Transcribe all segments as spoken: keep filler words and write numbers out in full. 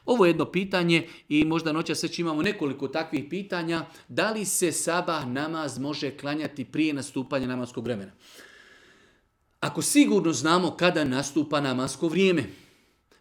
Ovo je jedno pitanje i možda noćas već imamo nekoliko takvih pitanja. Da li se sabah namaz može klanjati prije nastupanja namaskog vremena? Ako sigurno znamo kada nastupa namasko vrijeme,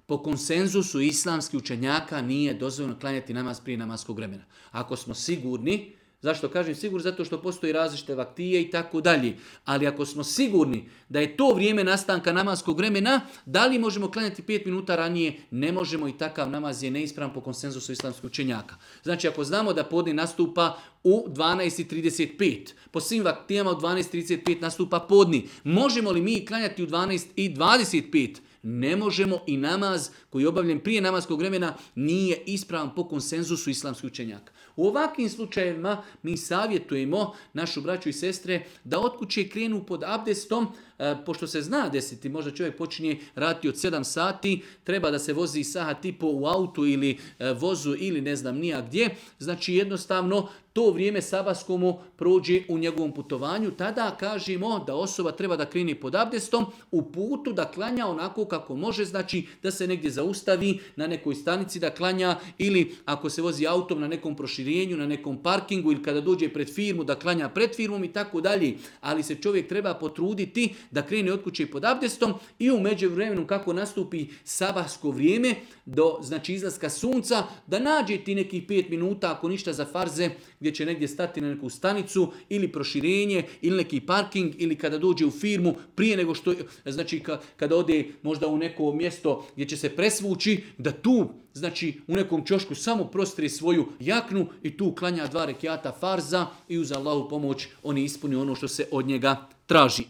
po konsenzusu islamskih učenjaka nije dozvoljeno klanjati namaz prije namaskog vremena. Ako smo sigurni, zašto kažem sigurni? Zato što postoji različite vaktije i tako dalje. Ali ako smo sigurni da je to vrijeme nastanka namaskog vremena, da li možemo klanjati pet minuta ranije? Ne možemo i takav namaz je neispravan po konsenzusu islamskih učenjaka. Znači ako znamo da podne nastupa u dvanaest i trideset pet, po svim vaktijama u dvanaest i trideset pet nastupa podni, možemo li mi klanjati u dvanaest i dvadeset pet? Ne možemo i namaz koji je obavljen prije namaskog vremena nije ispravan po konsenzusu islamskih učenjaka. U ovakvim slučajevima mi savjetujemo našu braću i sestre da od kuće krenu pod abdestom, e, pošto se zna desiti, možda čovjek počinje raditi od sedam sati, treba da se vozi sahat i po u autu ili e, vozu ili ne znam nija gdje, znači jednostavno to vrijeme sabaskomu prođe u njegovom putovanju, tada kažemo da osoba treba da krene pod abdestom u putu da klanja onako kako može, znači da se negdje zaustavi na nekoj stanici da klanja ili ako se vozi autom na nekom proširenju, na nekom parkingu ili kada dođe pred firmu da klanja pred firmom i tako dalje. Ali se čovjek treba potruditi da krene od kuće pod abdestom i u međuvremenu kako nastupi sabahsko vrijeme do znači izlaska sunca da nađe ti nekih pet minuta ako ništa za farze gdje će negdje stati na neku stanicu ili proširenje ili neki parking ili kada dođe u firmu prije nego što, znači kada ode možda u neko mjesto gdje će se presvući, da tu znači u nekom ćošku samo prostri svoju jaknu i tu klanja dva rekiata farza i uz Allahu pomoć on ispuni ono što se od njega traži.